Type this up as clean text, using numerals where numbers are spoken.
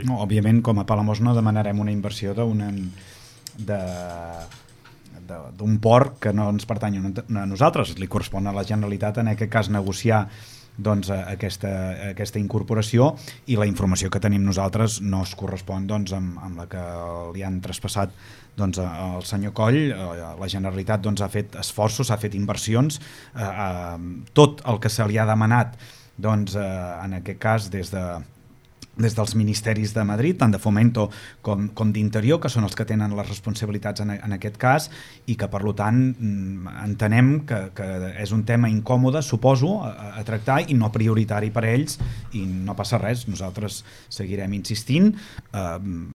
No, òbviament, com a Palamós no demanarem una inversió d'un port que no ens pertany a nosaltres, li correspon a la Generalitat en aquest cas negociar doncs, aquesta incorporació, i la informació que tenim nosaltres no es correspon doncs, amb la que li han traspassat doncs, al senyor Coll. La Generalitat doncs, ha fet esforços, ha fet inversions, tot el que se li ha demanat doncs, en aquest cas des dels ministeris de Madrid, tant de Fomento com d'Interior, que són els que tenen les responsabilitats en aquest cas, i que per tant entenem que és un tema incòmode, suposo, a tractar i no prioritari per a ells, i no passa res, nosaltres seguirem insistint.